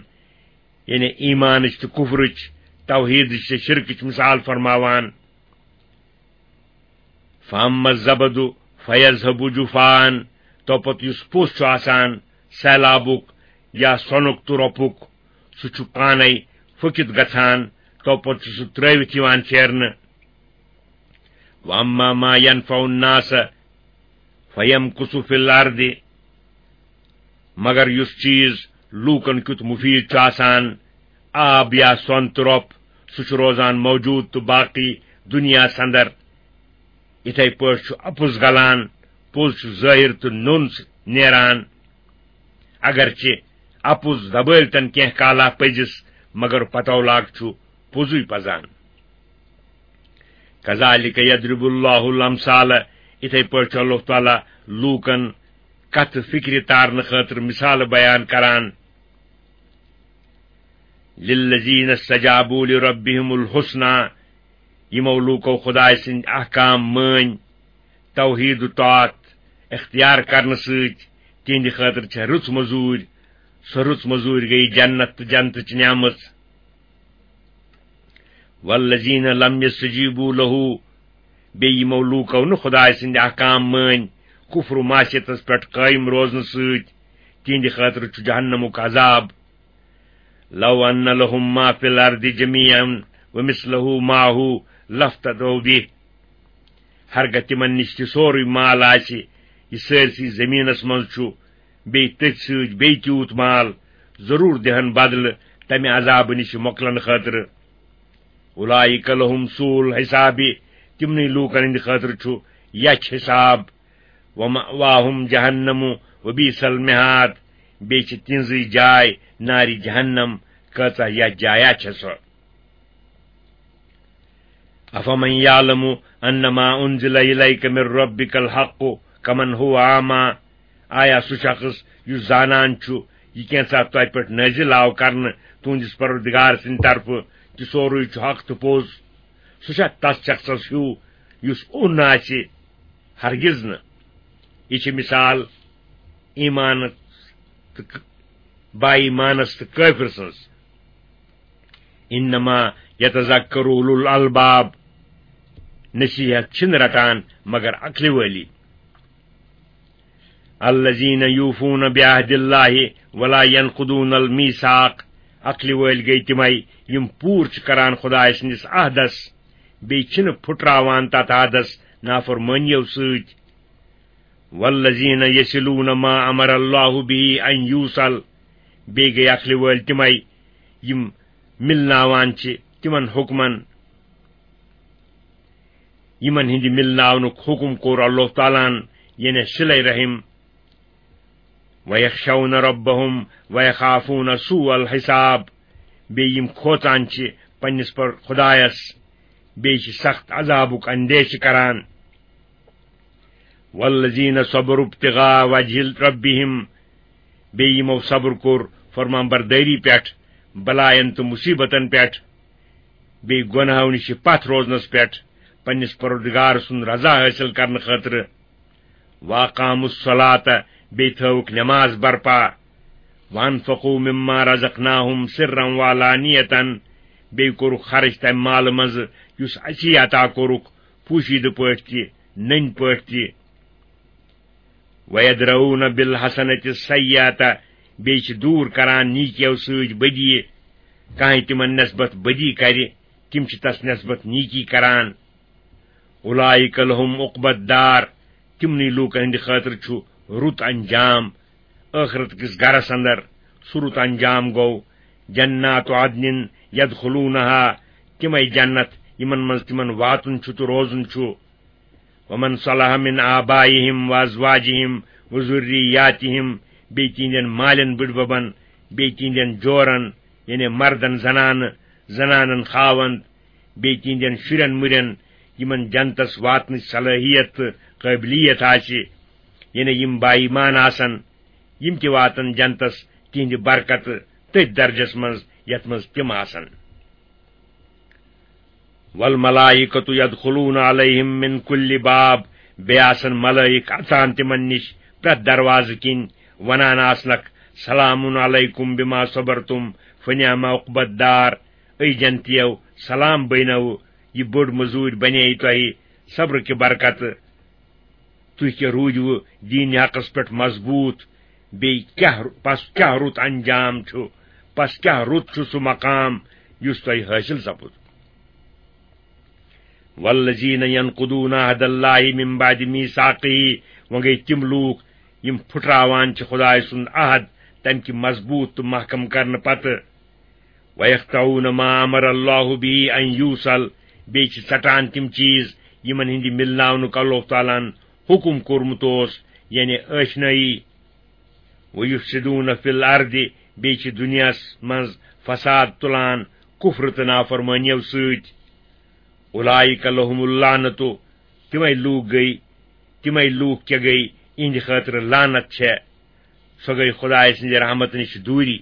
یعنی ایمانٕچ تہٕ کفرٕچ، توحیدٕچ تہٕ شرکٕچ مثال فرماوان۔ "فاما الزبد فيذهب جفاء"، تو پتہٕ یُس پوٚس چھُ آسان سیلابُک یا سۄنُک تہٕ رۄپُک، سُہ چھُ پانے پھُکِتھ گژھان، تو پتہٕ چھُ سُہ ترٲوِتھ یِوان پھیرنہٕ۔ "واما ما ينفع الناس فيمكث في الارض"، مگر یُس چیٖز لوٗکن کیُتھ مُفیٖد چھُ آسان، آب یا سۄن تہٕ رۄپھ، سُہ چھُ روزان موجوٗد تہٕ باقٕے دُنیاہس اندر۔ یِتھے پٲٹھۍ چھُ اَپُز گلان، پوٚز چھُ ظٲہِر تہٕ نوٚن نیران۔ اگرچہِ اَپُز دبٲوتن کینٛہہ کالا پٔزِس، مگر پتو لاگ چھُ پوٚزُے پزان۔ "كذلك يضرب الله الأمثال"، یِتھے پٲٹھۍ چھُ اللہ تعالیٰ لوٗکن کتھ فکرِ تارنہٕ خٲطرٕ مثالہٕ بیان کران۔ "للذين استجابوا لربهم الحسنى"، یِمو لوٗکو خۄداے سٕنٛدۍ احکام مٲنۍ، توحید و طاعت اختیار کرنہٕ سۭتۍ، تِہنٛدِ خٲطرٕ چھےٚ رٕژ مٔزوٗرۍ۔ سۄ رٕژ مٔزوٗرۍ گٔیہِ جنت تہٕ جنتٕچ نعمت۔ "والذين لم يستجيبوا له"، بیٚیہِ یِمو لوٗکو نہٕ خۄداے سٕنٛدۍ احکام مٲنۍ، کفر و معصیتس پٮ۪ٹھ قٲیِم روزنہٕ سۭتۍ، تِہنٛدِ خٲطرٕ چھُ جہنمُک عذاب۔ "لو أن لهم ما في الأرض جميعا ومثله معه لافتدوا به"، ہرگاہ تِمن نِش تہِ سورُے مال آسہِ، یہِ سٲرسٕے زٔمیٖنس منٛز چھُ، بیٚیہِ تٔتھۍ سۭتۍ بیٚیہِ تیوٗت مال، ضروٗر دِہن بدلہٕ تمہِ عذابہٕ نِش مۄکلنہٕ خٲطرٕ۔ "أولئك لهم سوء الحساب"، تِمنٕے لوٗکن ہٕنٛدِ خٲطرٕ چھُ یچھ حساب۔ "ومأواهم جهنم وبئس المهاد"، بیٚیہِ چھِ تِہنٛزٕے جاے نارِ جہنم، کۭژاہ یتھ جایہ چھےٚ سۄ۔ افمن یعلم انما انزل الیک من ربک الحق کمن هو اعمی، آیا سُہ شخص یُس زانان چھُ یہِ کینٛژھا تۄہہِ پٮ۪ٹھ نٲزِل آو کرنہٕ تُہنٛدِس پروردگار سٕنٛدِ طرفہٕ کہِ سورُے چھُ حق تہٕ پوٚز، سُہ چھا تس شخصس ہیوٗ یُس اوٚن آسہِ؟ ہرگز نہٕ۔ یہِ چھِ مثال ایمانس تہٕ ک-، با ایمانس تہٕ کٲفر سٕنٛز۔ انما یتذکر اولو الالباب، نصیحت چھِنہٕ رٹان مگر عقلہِ وٲلی۔ الذین یوفون بعہد اللہ ولا ینقضون المیثاق، عقلہِ وٲلۍ گٔے تِمے یِم پوٗرٕ چھِ کران خدایہِ سٕنٛدِس عہدس، بیٚیہِ چھِنہٕ پھُٹراوان تتھ عہدس نافرمٲنیو سۭتۍ۔ والذین یصلون ما امر اللہ به ان یوصل، بیٚیہِ گٔے عقلہِ وٲلۍ تِمے یِم مِلناوان چھِ تِمن حُکمن، یِمن ہٕنٛدِ مِلناونُک حُکم کوٚر اللہ تعالیٰ ہن، یعنی صلہ رحم۔ ویخشون ربهم ویخافون سوء الحساب، بیٚیہِ یِم کھوژان چھِ پننِس پر-، خدایس، بیٚیہِ چھِ سخت عذابُک اندیشہِ کران۔ والذین صبروا ابتغاء وجہ ربهم، بیٚیہِ یِمو صبر کوٚر فرمان بردٲری پٮ۪ٹھ، بلاین تہٕ مصیبتن پٮ۪ٹھ، بیٚیہِ گۄناہو نِش پتھ روزنس پٮ۪ٹھ، پننِس پروردگار سُنٛد رضا حٲصِل کرنہٕ خٲطرٕ۔ واقاموا الصلاۃ، بیٚیہِ تھٲوٕکھ نماز برپا۔ وانفقوا مما رزقناهم سرا وعلانیۃ، بیٚیہِ کوٚرُکھ خرٕچ تمہِ مالہٕ منٛزٕ یُس اسی عطا کوٚرُکھ، پوشیدٕ پٲٹھۍ تہِ، نٔنۍ پٲٹھۍ تہِ۔ ویدرؤون بالحسنۃ السیئۃ، بیٚیہِ چھِ دوٗر کران نیکیو سۭتۍ بدی۔ کانٛہہ تِمن نسبت بدی کرِ، تِم چھِ تس نسبت نیکی کران۔ اولئک لهم عقبی الدار، تِمنٕے لوٗکن ہٕنٛدِ خٲطرٕ چھُ رُت انجام۔ ٲخرت کِس گرس اندر سُہ رُت انجام گوٚو جنات عدن یدخلونها، تِمے جنت یِمن منٛز تِمن واتُن چھُ تہٕ روزُن چھُ۔ ومن صلح من آبائهم وازواجهم وذریاتهم، بیٚیہِ تِہنٛدٮ۪ن مالٮ۪ن بٕڈببن، بیٚیہِ تِہنٛدٮ۪ن جورن، یعنی مردن زنانہٕ، زنانن خاوند، بیٚیہِ تِہنٛدٮ۪ن شُرٮ۪ن مُرٮ۪ن، یِمن جنتس واتنٕچ صلٲحیت تہٕ قٲبلیت آسہِ، یعنی یِم با ایمان آسن، یِم تہِ واتن جنتس تِہنٛدِ برکتہٕ تٔتھۍ درجس منٛز یتھ منٛز تِم آسن۔ والملائکۃ یدخلون علیہم من کل باب، بیٚیہِ آسن ملائک اژان تِمن نِش پرٛٮ۪تھ دروازٕ کِنۍ، ونان آسنکھ، سلام علیکم بما صبرتم فنعم عقبی الدار۔ اے جنتیو، سلام بینو، یہِ بٔڑ مٔزوٗرۍ بنے تۄہہِ صبرٕ کہِ برکتہٕ۔ تُہۍ کیٛاہ روٗدِوٕ دیٖنِ حقس پٮ۪ٹھ مضبوٗط؟ بیٚیہِ کیٛاہ، پس کیٛاہ رُت انجام چھُ، پس کیٛاہ رُت چھُ سُہ مقام یُس تۄہہِ حٲصِل سپُد؟ والذین ینقضون عہد اللہ من بعد میثاقہ، وۄنۍ گٔے تِم لوٗکھ یِم پھُٹراوان چھِ خدایہِ سُنٛد عہد تمہِ کہِ مضبوٗط تہٕ محکم کرنہٕ پتہٕ۔ وَيَقْطَعُونَ مَا أَمَرَ اللَّهُ بِهِ أَن يُوصَلَ، بیٚیہِ چھِ ژٹان تِم چیٖز یِمن ہٕنٛدِ مِلناونُک اللہ تعالیٰ ہن حُکُم کوٚرمُت اوس، یعنی ٲشنٲیی۔ وَيُفْسِدُونَ فِي الْأَرْضِ، بیٚیہِ چھِ دُنیاہس منٛز فساد تُلان کُفرٕ تہٕ نافرمٲنیو سۭتۍ۔ أُولَٰئِكَ لَهُمُ اللَّعْنَةُ، تِمے لوٗکھ گٔے، تِمے لوٗکھ کیٛاہ گٔے، یِہنٛدِ خٲطرٕ لعنت چھےٚ، سۄ گٔے خدایہِ سٕنٛزِ رحمتہٕ نِش دوٗری۔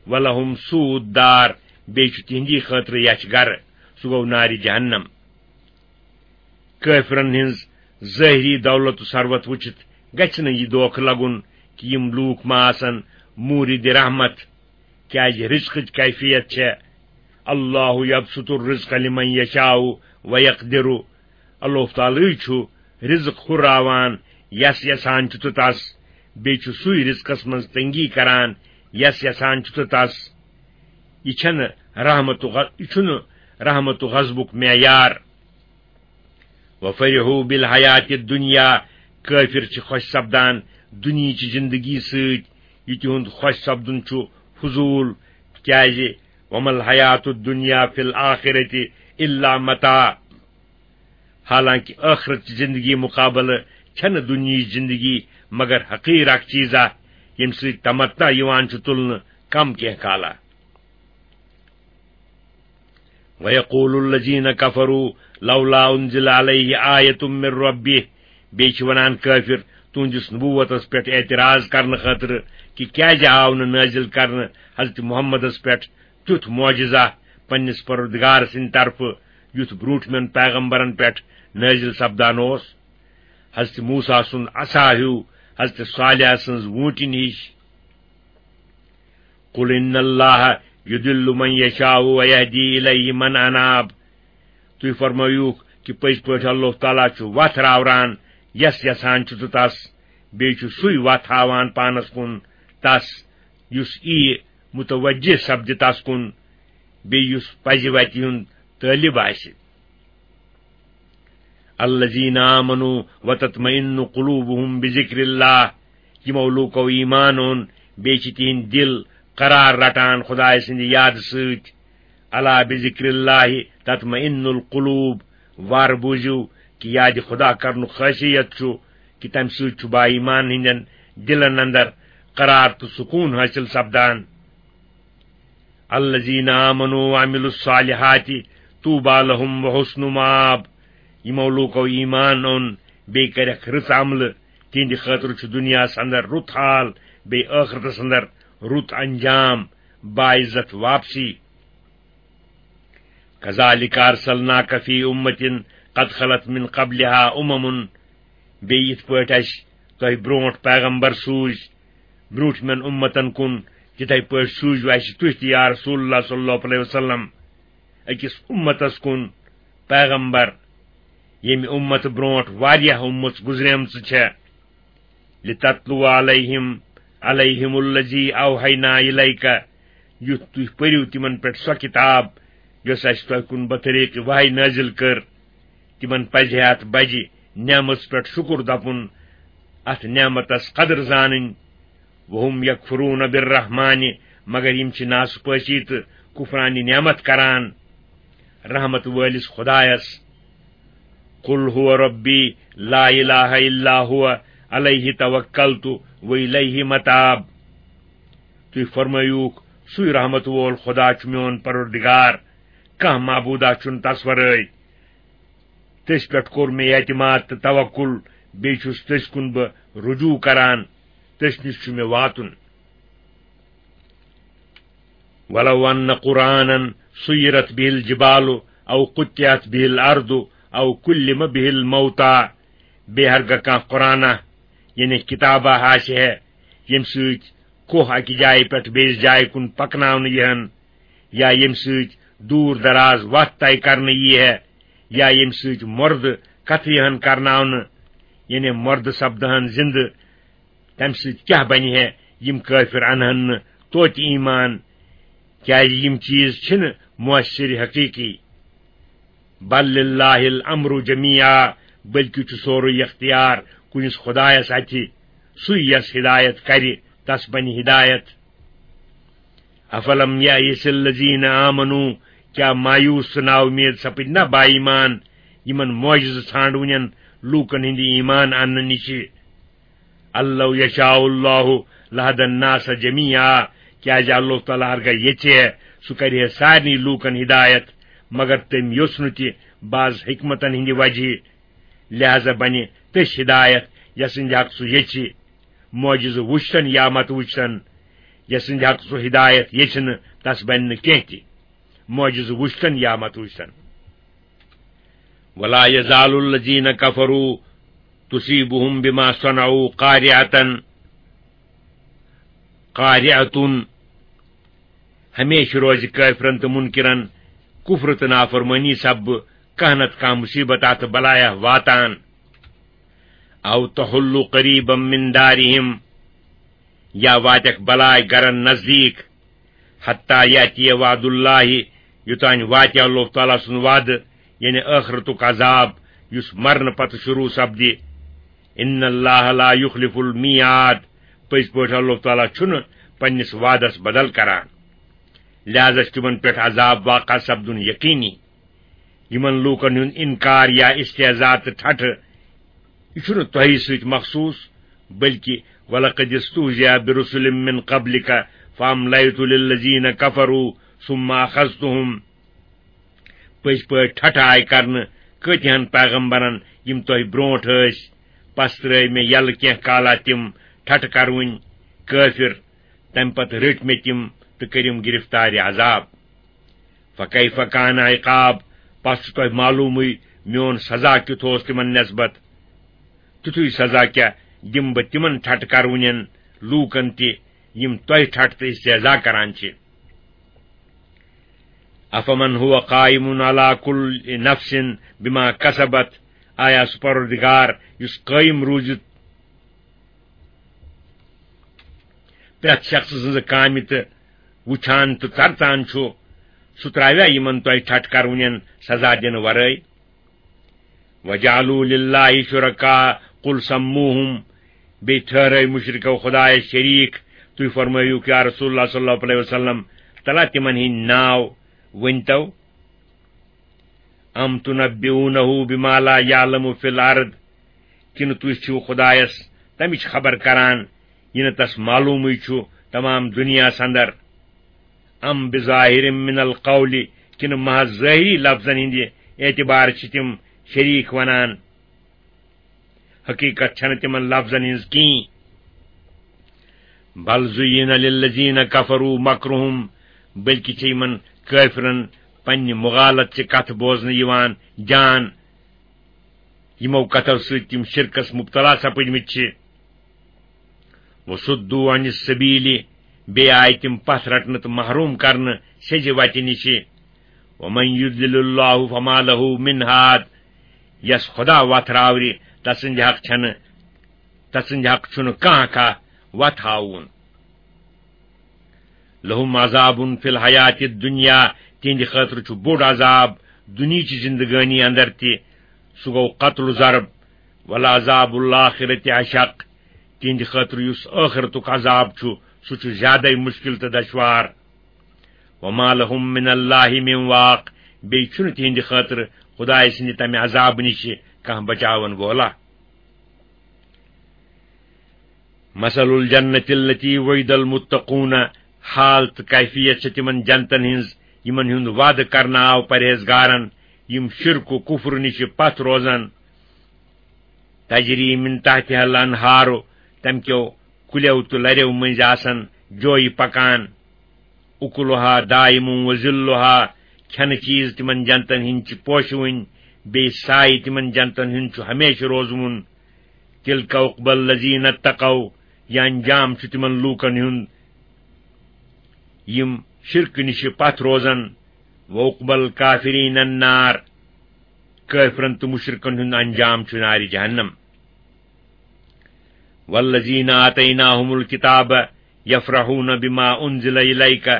وَلَهُمْ سُوءُ الدَّارِ، بیٚیہِ چھُ تِہنٛدی خٲطرٕ یَچھ گرٕ، سُہ گوٚو نارِ جہنم۔ کٲفرن ہٕنٛز ظٲہری دولت و ثروت وٕچھِتھ گژھِ نہٕ یہِ دھوکہٕ لگُن کہِ یِم لوٗکھ ما آسن موٗرِدِ رحمت، کیازِ رزقٕچ کیفیت چھےٚ، اللہ یبسط الرزق لمن یشاء و یقدر، اللہ تعالیٰ چھُ رزق ہُراوان یس یژھان چھُ تہٕ تس، بیٚیہِ چھُ سُے رزقس منٛز تنگی کران یس یژھان چھُ تہٕ تس۔ یہِ چھنہٕ رحمت و غ-، یہِ چھُنہٕ رحمت و غضبُک معیار۔ وَفَرِحُوا بِالْحَيَاةِ الدُّنْيَا، کٲفِر چھِ خۄش سپدان دُنیہٕچہِ زِندگی سۭتۍ، یہِ تِہُنٛد خۄش سپدُن چھُ فضوٗل، کیازِ وَمَا الْحَيَاةُ الدُّنْيَا فِي الْآخِرَةِ إِلَّا مَتَاعٌ۔ حالانکہ ٲخرت چہِ زِندگی مُقابلہٕ چھنہٕ دُنیہٕچ زِندگی مگر حقیٖر اکھ چیٖزا، ییٚمہِ سۭتۍ تمتع یِوان چھُ تُلنہٕ کم کینٛہہ کالا۔ وَيَقُولُ الَّذِينَ كَفَرُوا لَوْلَا أُنْزِلَ عَلَيْهِ آيَةٌ مِّن رَّبِّهِ۔ بیٚیہِ چھِ وَنان کٲفِر تُہٕنٛدِس نبوتس پٮ۪ٹھ اعتراض کرنہٕ خٲطرٕ کہِ کیازِ آو نہٕ نٲزِل کرنہٕ حضرت محمدس پٮ۪ٹھ تیُتھ معجزہ پننِس پروردگار سٕنٛدِ طرفہٕ، یُتھ برٛونٛٹھمٮ۪ن پیغمبرن پٮ۪ٹھ نٲزِل سپدان اوس۔ حضرت موسیٰ سُنٛد عصا ہیوٗ، حضرت صالح سٕنٛز ووٗنٛٹِنۍ ہِش۔ قل ان اللہ یضل من یشاء ویہدی الیہ من اناب۔ تُہۍ فرمٲیوکھ کہِ پٔزۍ پٲٹھۍ اللہ تعالیٰ چھُ وتھ راوران یس یژھان چھُ تہٕ تس، بیٚیہِ چھُ سُے وتھ ہاوان پانس کُن تس، یُس یی متوجہ سپدِ تس کُن، بیٚیہِ یُس پزِ وتہِ ہُنٛد طٲلب آسہِ۔ الذین آمنوا وتطمئن قلوبهم بذکر اللہ، یِمو لوٗکو ایمان اوٚن، بیٚیہِ چھِ تِہنٛدۍ دِل قرار رٹان خدایہِ سٕنٛدِ یادٕ سۭتۍ۔ الا بذکر اللہ تطمئن القلوب، وارٕ بوٗزِو کہِ یادِ خدا کرنُک خٲصیت چھُ کہِ تمہِ سۭتۍ چھُ با ایمان ہٕنٛدٮ۪ن دِلن اندر قرار تہٕ سکوٗن حٲصِل سپدان۔ الذین آمنوا وعملوا الصالحات طوبی لهم وحسن مآب۔ یِمو لوٗکو ایمان اوٚن بیٚیہِ کٔرکھ رٕژ عملہٕ، تِہنٛدِ خٲطرٕ چھُ دُنیاہس اندر رُت حال، بیٚیہِ ٲخرتس اندر رُت انجام، باعزت واپسی۔ کذالک ارسلناک فی امۃ قد خلت من قبلها امم۔ بیٚیہِ یِتھ پٲٹھۍ اَسہِ تۄہہِ برٛونٛٹھ پیغمبر سوٗزۍ برٛونٛٹھمٮ۪ن اُمتن کُن، تِتھے پٲٹھۍ سوٗزِو اَسہِ تُہۍ تہِ یا رسول اللہ صلی اللہ علیہ وسلم أکِس اُمتس کُن پیغمبر، ییٚمہِ اُمتہٕ برٛونٛٹھ واریاہ اُمژ گُزریمژٕ چھےٚ۔ لتتلو علیہم علیہم الذی اوحینا الیک، یُتھ تُہۍ پٔرِو تِمن پٮ۪ٹھ سۄ کِتاب یۄس اَسہِ تۄہہِ کُن بطریق وحی نٲزِل کٔر۔ تِمن پزِ ہے اتھ بجہِ نعمژ پٮ۪ٹھ شُکر دپُن، اتھ نعمتس قدر زانٕنۍ۔ وہم یکفرون بالرحمن، مگر یِم چھِ ناسپٲسی تہٕ کفرانِ نعمت کران رحمت وٲلِس خدایس۔ قل هو ربی لا الہ الا هو علیہ توکلت و الیہ متاب۔ تُہۍ فرمٲیوکھ، سُے رحمت وول خدا چھُ میون پروردگار، کانٛہہ معبوٗدا چھُنہٕ تس ورٲے۔ تٔسۍ پٮ۪ٹھ کوٚر مےٚ اعتماد تہٕ توکل، بیٚیہِ چھُس تٔسۍ کُن بہٕ رجوع کران، تٔسۍ نِش چھُ مےٚ واتُن۔ ولو ان قرآنا سیرت به الجبال او قطعت به الارض او کلم به الموتى، بیٚیہِ ہرگاہ کانٛہہ قرآنہ، یعنی کتابہ آسہِ ہے، ییٚمہِ سۭتۍ کوہ اکہِ جایہِ پٮ۪ٹھ بیٚیِس جایہِ کُن پکناونہٕ یِہن، یا ییٚمہِ سۭتۍ دوٗر دراز وتھ طے کرنہٕ یی ہے، یا ییٚمہِ سۭتۍ مردٕ کتھٕ یِہن کرناونہٕ، یعنی مردٕ سپدہن زندٕ، تمہِ سۭتۍ کیاہ بنہِ ہے؟ یِم کٲفر انہن نہٕ توتہِ ایمان، کیازِ یِم چیز چھِنہٕ مؤثر حقیقی۔ بل للہ الامر جمیعا، بلکہ چھُ سورُے اختیار کُنِس خدایس اتھِ، سُے یس ہدایت کرِ، تس بنہِ ہدایت۔ افلم یئس الذین آمنوا، کیا مایوس تہٕ نا اُمید سپٕدۍ نہ با ایمان یِمن معجزٕ ژھانڈوٕنٮ۪ن لوٗکن ہٕنٛدِ ایمان اننہٕ نِشہِ؟ ان لو یشاء اللہ لہدی الناس جمیعا، کیازِ اللہ تعالیٰ ہرگاہ یژھِ ہے، سُہ کرِ ہے سارنٕے لوٗکن ہدایت، مگر تٔمۍ یوٚژھ نہٕ تہِ بعض حکمتن ہٕنٛدِ وجہہ، لہذا بنہِ تٔژ ہدایت یسٕنٛدِ حق سُہ یژھِ، معجزٕ وُچھتن یا مت وُچھتن، یسٕنٛدِ حق سُہ ہدایت یژھِ نہٕ، تس بنہِ نہٕ کینٛہہ تہِ، معجزٕ وُچھتن یا مت وُچھتن۔ ولا یزال الذین کفروا تصیبهم بما صنعوا قارعة، قارعة، ہمیشہِ روزِ کٲفرن تہٕ منکرن کفر تہٕ نافرمٲنی سببہٕ کانٛہہ نتہٕ کانٛہہ مصیبت تہٕ بلایہ واتان۔ او تحل قریبا من دارهم، یا واتکھ بلاے گرن نزدیک۔ حتی یاتی وعد اللہ، یوتانۍ واتہِ اللہ تعالیٰ سُنٛد وعدٕ، یعنی ٲخرتُک عذاب، یُس مرنہٕ پتہٕ شروع سپدِ۔ ان اللہ لا یخلف المیعاد، پٔزۍ پٲٹھۍ اللہ تعالیٰ چھُنہٕ پننِس وعدس بدل کران، لہذا چھُ تِمن پٮ۪ٹھ عذاب واقع سپدُن یقینی۔ یِمن لوٗکن ہُنٛد انکار یا استہزاء تہٕ ٹھٹھٕ، یہِ چھُنہٕ تۄہہِ سۭتۍ مخصوص، بلکہ ولقد استہزئ برسل من قبلک فاملیت للذین کفروا ثم اخذتهم۔ پٔزۍ پٲٹھۍ ٹھٹھٕ آیہِ کرنہٕ کۭتِہن پیغمبرن، یِم تۄہہِ برونٹھ ٲسۍ۔ پس ترٲوۍ مےٚ یلہٕ کینٛہہ کالا تِم ٹھٹھٕ کرونۍ کٲفر، تمہِ پتہٕ رٔٹۍ مےٚ تِم تہٕ کٔرِم گرفتارِ عذاب۔ فکیف کان عقاب، پس چھُ تۄہہِ معلومٕے میون سزا کیُتھ اوس تِمن نسبت۔ تیُتھُے سزا کیٛاہ دِمہٕ بہٕ تِمن ٹھٹہٕ کرونٮ۪ن لوٗکن تہِ، یِم تۄہہِ ٹھٹہٕ تہٕ استہزا کران چھِ۔ افمن هو قائم على كل نفس بما كسبت، آیا سُہ پروردگار یُس قٲیِم روٗزِتھ پرٛٮ۪تھ شخصہٕ سٕنٛزٕ کامہِ تہٕ وُچھان تہٕ ژرژان چھُ، سُہ ترٛاویا یِمن تۄہہِ ٹھٹہٕ کرونٮ۪ن سزا دِنہٕ ورٲے؟ وجعلوا لله شركاء، قل سموهم، بیٚیہِ ٹھہرٲے مُشرِکو خۄدایَس شریٖک۔ تُہۍ فرمٲیِو، یا رسول اللہ صلی اللہ علیہ وسلم، تلا تِمن ہٕنٛدۍ ناو ؤنۍتو۔ ام تنبئونه بما لا يعلم في الارض، کِنہٕ تُہۍ چھِو خۄدایَس تَمِچ خبر کران، یہِ نہٕ تَس معلومٕے چھُ تمام دُنیاہَس اندر؟ ام بظاہر من القول، کِنہٕ محض ظٲہری لفظن ہٕنٛدِ اعتبار چھِ تِم شریٖک ونان؟ حقیقت چھنہٕ تِمن لفظن ہٕنٛز کِہیٖنۍ۔ بل زُیِّنَ لِلَّذِینَ کَفَرُوا مَکْرُہُمْ، بلکہِ چھِ یِمن کٲفرن پننہِ مغالت چہِ کتھٕ بوزنہٕ یِوان جان، یِمو کتھو سۭتۍ تِم شرکس مبتلا سپٕدمٕتۍ چھِ۔ وَصُدُّوا عَنِ السَّبِیلِ، بیٚیہِ آیہِ تِم پتھ رٹنہٕ تہٕ محروم کرنہٕ سیٚزِ وتہِ نِشہِ۔ وَمَن یُضْلِلِ اللَّهُ فَمَا لَهُ مِنْ هَادٍ، یَس خۄدا وَتھ راورِ، تَسٕنٛدِ حق چھَنہٕ، تَسٕنٛدِ حق چھُنہٕ کانٛہہ کانٛہہ وَتھ ہاوُن۔ لَهُمْ عَذَابٌ فِی الْحَیَاةِ الدُّنْیَا، تِہِنٛدِ خٲطرٕ چھُ بوٚڑ عذاب دُنیاہچہِ زِندگٲنی اندر تہِ، سُہ گوٚو قتل و ضرب۔ وَلَعَذَابُ الْآخِرَةِ أَشَقُّ، تِہِنٛدِ خٲطرٕ یُس ٲخرتُک عذاب چھُ، سُہ چھُ زیادَے مُشکِل تہٕ دشوار۔ وَمَا لَهُمْ مِنَ اللَّهِ مِنْ وَاقٍ، بیٚیہِ چھُنہٕ تِہِنٛدِ خٲطرٕ خۄدایہِ سٕنٛدِ تَمہِ عذابہٕ نِشہِ کانٛہہ بچاون وولا۔ مَثَلُ الْجَنَّةِ الَّتِی وُعِدَ الْمُتَّقُونَ، حال تہٕ کیفیت چھِ تِمن جنتن ہٕنٛز، یِمن ہُنٛد وعدٕ کرنہٕ آو پرہیزگارن، یِم شرک و کفر نِشہِ پتھ روزن۔ تَجْریٖ مِن تَحْتِہَا الْأَنْہَارُ، تَمہِ کیو کُلیو تہٕ لَریو مٔنٛزۍ آسَن جویہِ پکان۔ اُکُلُہَا دَائِمٌ وَظِلُّہَا، کھٮ۪نہٕ چیٖز تِمن جنتن ہٕنٛدۍ چھِ پوشہٕ وٕنۍ، بیٚیہِ سایہِ تِمن جنتن ہُنٛد چھُ ہمیشہٕ روزوُن۔ تِلْکَ عُقْبَى الَّذِینَ اتَّقَوْا، یہِ انجام چھُ تِمن لوٗکن ہُنٛد، یِم شرکہٕ نِشہِ پتھ روزن۔ وَعُقْبَى الْکَافِرِینَ النَّارُ، کٲفرن تہٕ مُشرِکن ہُنٛد انجام چھُ نارِ جہنم۔ وَالَّذِینَ آتَینَاهُمُ الْکِتَابَ یَفْرَحُونَ بِمَا أُنْزِلَ إِلَیْکَ،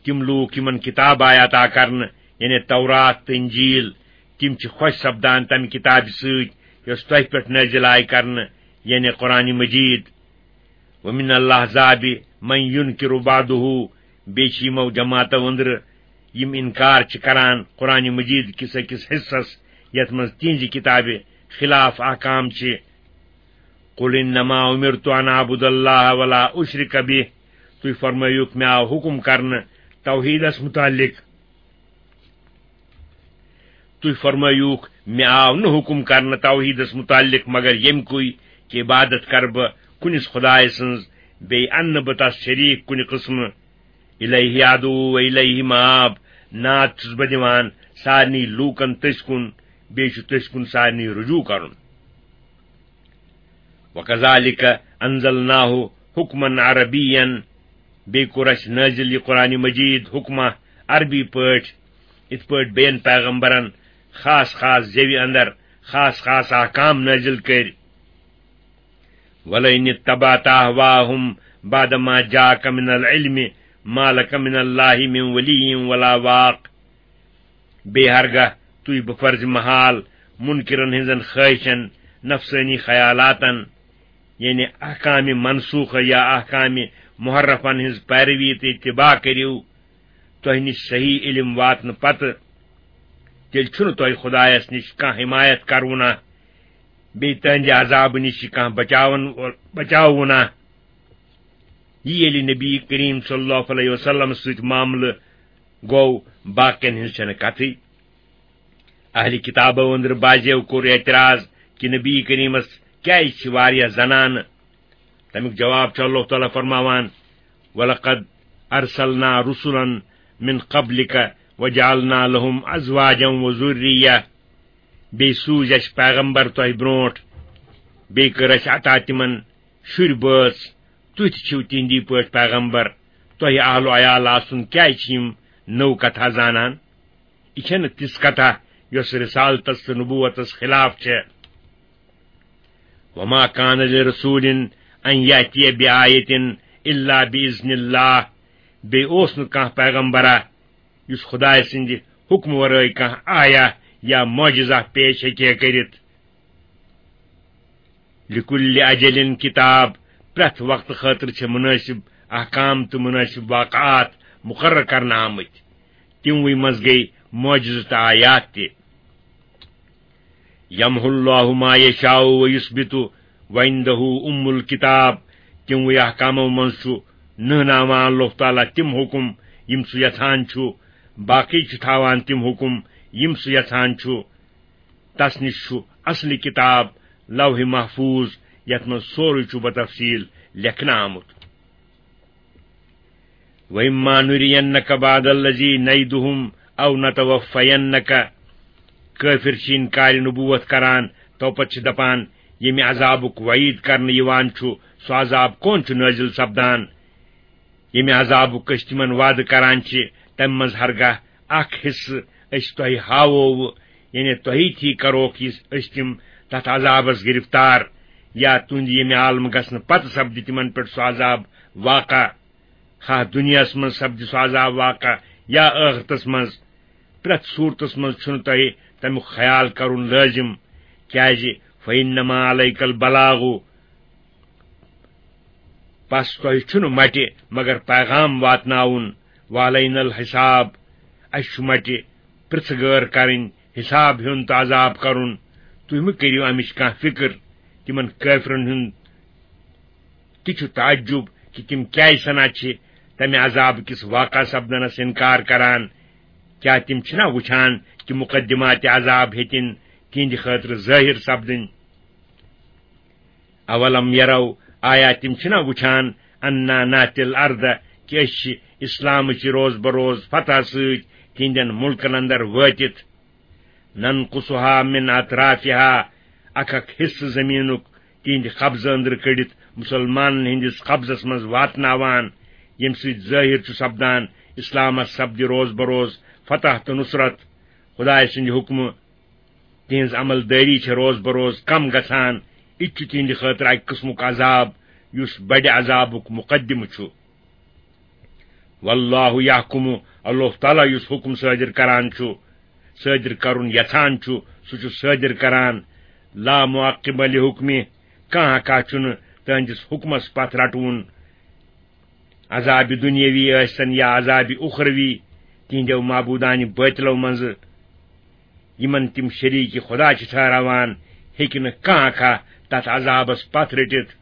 تِم لوٗکھ یِمن کِتاب آیہِ عطا کرنہٕ، یعنی تورات تہٕ انجیل، تِم چھِ خۄش سپدان تَمہِ کِتابہِ سۭتۍ یۄس تۄہہِ پٮ۪ٹھ نٲزِل آیہِ کرنہٕ، یعنی قرآن مجید۔ وَمِنَ الْأَحْزَابِ مَنْ یُنْکِرُ بَعْضَهُ، بیٚیہِ چھِ یِمو جماعتو أنٛدرٕ یِم اِنکار چھِ کران قرآن مجید کِس أکِس حصس، یَتھ منٛز تِہنٛزِ کِتابہِ خلاف احکام چھِ۔ قُلْ إِنَّمَا أُمِرْتُ أَنْ أَعْبُدَ اللَّهَ وَلَا أُشْرِکَ بِهِ، تُہۍ فرمٲیِو، مےٚ آو حُکم کرنہٕ توحیٖدس مُتعلِق۔ تُہۍ فرمٲیوُکھ، مےٚ آو نہٕ حُکم کرنہٕ توحیٖدس مُتعلِق مگر ییٚمہِ کُے کہِ عبادت کرٕ بہٕ کُنِس خۄدایہِ سٕنٛز، بیٚیہِ اَنہٕ نہٕ بہٕ تس شریٖک کُنہِ قٕسمہٕ۔ اِلیہ ادعو و اِلیہ مآب، ناد چھُس بہٕ دِوان سارنٕے لوٗکن تٔسۍ کُن، بیٚیہِ چھُ تٔسۍ کُن سارنٕے رجوع کرُن۔ وَکَذَلِکَ أَنزَلْنَاهُ حُکْمًا عَرَبِیًّا، بیٚیہِ کوٚر اَسہِ نٲزِل یہِ قرآن مجید حُکمہ عربی پٲٹھۍ، یِتھ پٲٹھۍ بیٚین پیغمبرن خاص خاص زیوِ اندر خاص خاص احکام نٲزِل کٔرۍ۔ وَلَئِنِ اتَّبَعْتَ أَهْوَاءَهُمْ بَعْدَ مَا جَاءَکَ مِنَ الْعِلْمِ مَا لَکَ مِنَ اللَّهِ مِنْ وَلِیٍّ وَلَا وَاقٍ۔ بیٚیہِ ہرگاہ تُہۍ بفرضِ محال مُنکِرن ہٕنٛزن خٲہِشن، نفسٲنی خیالاتن، یعنی احکامِ منسوخہ یا احکامِ محرفن ہٕنٛز پیروی تہٕ اتباع کٔرِو، تۄہہِ نِش صحیح علم واتنہٕ پتہٕ، تیٚلہِ چھُنہٕ تۄہہِ خۄدایس نِش کانٛہہ حمایت کرونہ، بیٚیہِ تہنٛدِ عذابہٕ نِش چھِ کانٛہہ بچاون وول، بچاوونہ۔ یہِ ییٚلہِ نبی کریم صلی اللہ علیہ وسلم سۭتۍ معاملہٕ گوٚو، باقین ہٕنٛز چھنہٕ کتھٕے۔ اہلِ کتابو أنٛدرٕ بعضیو کوٚر اعتراض کہِ نبی کریمس کیازِ چھِ واریاہ زنانہٕ؟ تمیُک جواب چھُ اللہ تعالیٰ فرماوان، "ولقد ارسلنا رسلا من قبلک وجعلنا لهم ازواجا وذریہ"، بیٚیہِ سوٗزۍ اَسہِ پیغمبر تۄہہِ برونٛٹھ، بیٚیہِ کٔر اَسہِ عطا تِمن شُرۍ بٲژ۔ تُہۍ تہِ چھِو تِہنٛدی پٲٹھۍ پیغمبر، تۄہہِ اہل و عیال آسُن، کیازِ چھِ یِم نٔو کتھا زانان؟ یہِ چھَنہٕ تِژھ کتھا یۄس رسالتس تہٕ نبوتس خلاف چھےٚ۔ وما کان لرسول ان یاتی بآیت الا باذن اللہ۔ بیٚیہِ اوس نہٕ کانٛہہ پیغمبرا یُس خدایہِ سٕنٛدِ حُکمہٕ ورٲے کانٛہہ آیہ یا معجزہ پیش ہیٚکہِ ہے کٔرِتھ۔ لکل اجل کتاب، پرٛٮ۪تھ وقتہٕ خٲطرٕ چھِ مُنٲسِب احکام تہٕ مُنٲسِب واقعات مُقرر کرنہٕ آمٕتۍ۔ تِموٕے منٛز گٔے معجزٕ تہٕ آیات تہِ۔ یمحو اللہ ما یشاء و یثبت وعنده ام الکتاب۔ تِموٕے احکامو منٛز چھُ نہناوان اللہ تعالیٰ تِم حُکم یِم سُہ یژھان چھُ، باقٕے چھُ تھاوان تِم حُکم یِم سُہ یژھان چھُ۔ تس نِش چھُ اصلی کتاب لوح محفوظ، یتھ منٛز سورُے چھُ بتفصیل لیکھنہٕ آمُت۔ وَإِمَّا نُرِيَنَّكَ بَعْضَ الَّذِي نَعِدُهُمْ أَوْ نَتَوَفَّيَنَّكَ۔ کٲفِر چھِ اِنکارِ نبوت کران، تو پتہٕ چھِ دپان، ییٚمہِ عذابُک وعید کرنہٕ یِوان چھُ، سُہ عذاب کون چھُ نٲزِل سپدان؟ ییٚمہِ عذابُک أسۍ تِمن وعدٕ کران چھِ، تمہِ منٛز ہرگاہ اکھ حصہٕ أسۍ تۄہہِ ہاوو، یعنی تۄہی تھی کروکھ یہِ، أسۍ تِم تتھ عذابس گرفتار، یا تُہنٛدِ ییٚمہِ عالمہٕ گژھنہٕ پتہٕ سپدِ تِمن پٮ۪ٹھ سُہ عذاب واقع۔ خواہ دُنیاہس منٛز سپدِ سُہ عذاب واقع یا ٲخرتس منٛز، پرٛٮ۪تھ صوٗرتس منٛز چھُنہٕ تۄہہِ تمیُک خیال کرُن لٲزِم، کیازِ فَإِنَّمَا عَلَيْكَ الْبَلَاغُ، پس تۄہہِ چھُنہٕ مٹہِ مگر پیغام واتناوُن، وَعَلَيْنَا الْحِسَابُ، اسہِ چھُ مٹہِ پرٛژھٕ گٲر کرٕنۍ، حساب ہیوٚن تہٕ عذاب کرُن۔ تُہۍ مہٕ کٔرِو امِچ کانٛہہ فکر۔ تِمن کٲفرن ہُنٛد تہِ چھُ تعجب کہِ تِم کیازِ سنا چھِ تمہِ عذاب کِس واقع سپدنس انکار کران۔ کیٛاہ تِم چھِنا وُچھان کہِ مقدمات عذاب ہیٚتِن تِہنٛدِ خٲطرٕ ظٲہِر سپدٕنۍ؟ اولم یرو، آیا تِم چھِنا وُچھان، انا ناتی الارض، کہِ أسۍ چھِ اسلامٕچ روز بروز فتح سۭتۍ تِہنٛدٮ۪ن مُلکن اندر وٲتِتھ؟ ننقصها من اطرافها، اکھ اکھ حصہٕ زمینُک تِہنٛدِ قبضہٕ أنٛدرٕ کٔڑِتھ مُسلمانن ہٕنٛدِس قبضس منٛز واتناوان، ییٚمہِ سۭتۍ ظٲہِر چھُ سپدان اسلامس سپدِ روز بروز فتح تہٕ نصرت۔ خدایہِ سٕنٛدِ حُکمہٕ تِہنٛز عمل دٲری چھےٚ روز بروز کم گژھان۔ یہِ تہِ چھُ تِہنٛدِ خٲطرٕ اکہِ قٕسمُک عذاب، یُس بڑِ عذابُک مقدمہٕ چھُ۔ واللہ یحکم، اللہ تعالیٰ یُس حُکم صٲدِر کران چھُ، صٲدِر کرُن یژھان چھُ، سُہ چھُ صٲدِر کران۔ لا معقب لحکمہ، کانٛہہ کانٛہہ چھُنہٕ تہنٛدِس حُکمس پتھ رٹوُن۔ عذابِ دُنیاوی ٲسۍتن یا عذابِ اُخروی، تِہنٛدیو معبوٗدانہِ بٲطلو منٛزٕ یِمن تِم شریٖکہِ خدا چھِ ٹھہراوان، ہیٚکہِ نہٕ کانٛہہ کانٛہہ تتھ عذابس پتھ رٔٹِتھ۔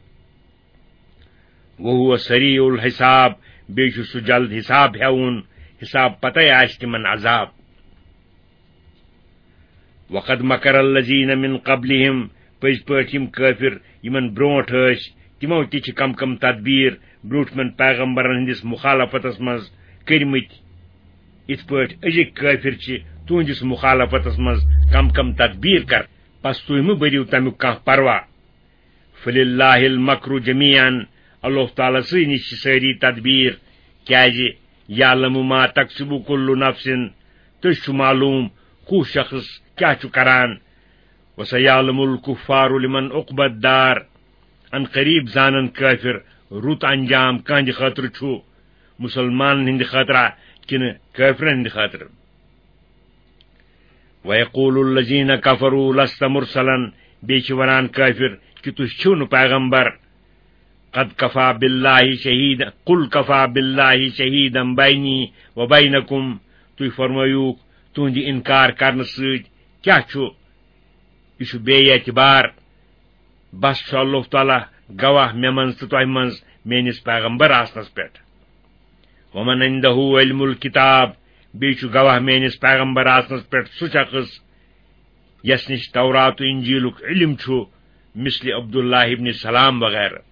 وَهُوَ سَرِيعُ الْحِسَابِ، بیٚیہِ چھُ سُہ جلد حساب ہٮ۪وُن، حساب پتے آسہِ تِمن عذاب۔ وَقَدْ مَكَرَ الَّذِينَ مِنْ قَبْلِهِمْ، پٔزۍ پٲٹھۍ یِم کٲفِر یِمن برونٛٹھ ٲسۍ، تِمو تہِ چھِ کم کم تدبیٖر برونٛٹھمٮ۪ن پیغمبرن ہٕنٛدِس مُخالفتس منٛز کٔرمٕتۍ، یِتھ پٲٹھۍ أزِکۍ کٲفِر چھِ تُہنٛدِس مُخالفتس منٛز کم کم تدبیٖر کران۔ پس تُہۍ مہٕ بٔرِو تمیُک کانٛہہ پروا۔ فللہ المکر جمیعا، اللہ تعالیٰ سٕے نِش چھِ سٲری تدبیٖر، کیازِ یعلم ما تکسب کل نفس، تُہۍ چھُ معلوم کُس شخص کیٛاہ چھُ کران۔ وسیعلم الکفار لمن عقبی الدار، ان قریب زانن کٲفِر رُت انجام کہنٛدِ خٲطرٕ چھُ، مُسلمانن ہٕنٛدِ خٲطرٕ کِنہٕ کٲفرن ہٕنٛدِ خٲطرٕ۔ وَيَقُولُ الَّذِينَ كَفَرُوا لَسْتَ مُرْسَلًا، بیٚیہِ چھِ وَنان کٲفِر کہِ تُہۍ چھِو نہٕ پیغمبر۔ قَدْ كَفَىٰ بِاللَّهِ شَهِيدًا، قُلْ كَفَىٰ بِاللَّهِ شَهِيدًا بَيْنِي وَبَيْنَكُمْ، تُہۍ فرمٲیوٗکھ تُہنٛدِ اِنکار کرنہٕ سۭتۍ کیٛاہ چھُ؟ یہِ چھُ بے اعتبار۔ بس چھُ اللہ تعالیٰ گواہ مےٚ منٛز تہٕ تۄہہِ منٛز میٲنِس پیغمبر آسنس پٮ۪ٹھ۔ وَمَنْ عِنْدَهُ عِلْمُ الْكِتَابِ، بیٚیہِ چھُ گواہ میٲنِس پیغمبر آسنس پٮ۪ٹھ سُہ شخص یس نِش تورات و انجیلُک علم چھُ، مثل عبداللہ ابن سلام وغیرہ۔